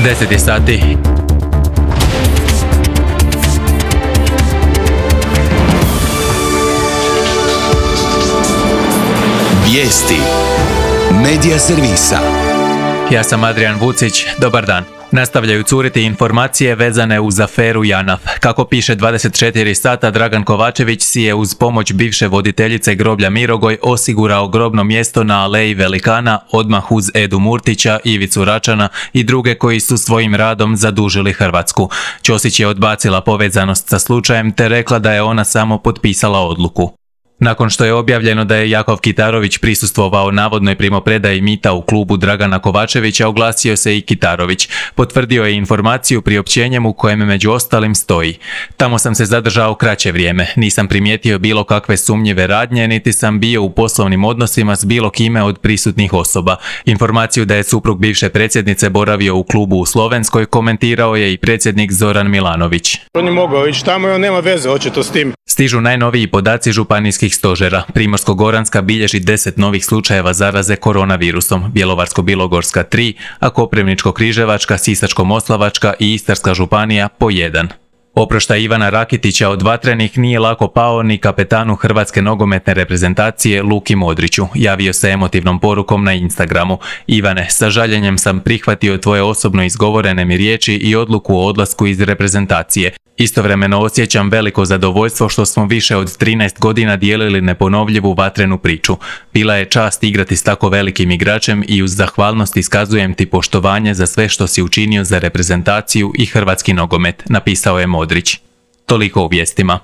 10 sati. Vijesti Medija servisa. Ja sam Adrian Vucić, dobar dan. Nastavljaju curiti informacije vezane uz aferu JANAF. Kako piše 24 sata, Dragan Kovačević si je uz pomoć bivše voditeljice groblja Mirogoj osigurao grobno mjesto na Aleji Velikana odmah uz Edu Murtića, Ivicu Račana i druge koji su svojim radom zadužili Hrvatsku. Ćosić je odbacila povezanost sa slučajem te rekla da je ona samo potpisala odluku. Nakon što je objavljeno da je Jakov Kitarović prisustvovao navodnoj primopredaji mita u klubu Dragana Kovačevića, oglasio se i Kitarović. Potvrdio je informaciju priopćenjem u kojem među ostalim stoji: "Tamo sam se zadržao kraće vrijeme, nisam primijetio bilo kakve sumnjive radnje, niti sam bio u poslovnim odnosima s bilo kime od prisutnih osoba." Informaciju da je suprug bivše predsjednice boravio u klubu u Slovenskoj komentirao je i predsjednik Zoran Milanović. On je mogao ići tamo i on nema veze očito s tim. Stižu najnoviji podaci županijskih stožera. Primorsko-goranska bilježi 10 novih slučajeva zaraze koronavirusom, Bjelovarsko-bilogorska 3, a Koprivničko-križevačka, Sisačko-moslavačka i Istarska županija po 1. Oproštaj Ivana Rakitića od vatrenih nije lako pao ni kapetanu hrvatske nogometne reprezentacije Luki Modriću. Javio se emotivnom porukom na Instagramu: "Ivane, sa žaljenjem sam prihvatio tvoje osobno izgovorene mi riječi i odluku o odlasku iz reprezentacije. Istovremeno osjećam veliko zadovoljstvo što smo više od 13 godina dijelili neponovljivu vatrenu priču. Bila je čast igrati s tako velikim igračem i uz zahvalnost iskazujem ti poštovanje za sve što si učinio za reprezentaciju i hrvatski nogomet", napisao je Modrić. Toliko u vijestima.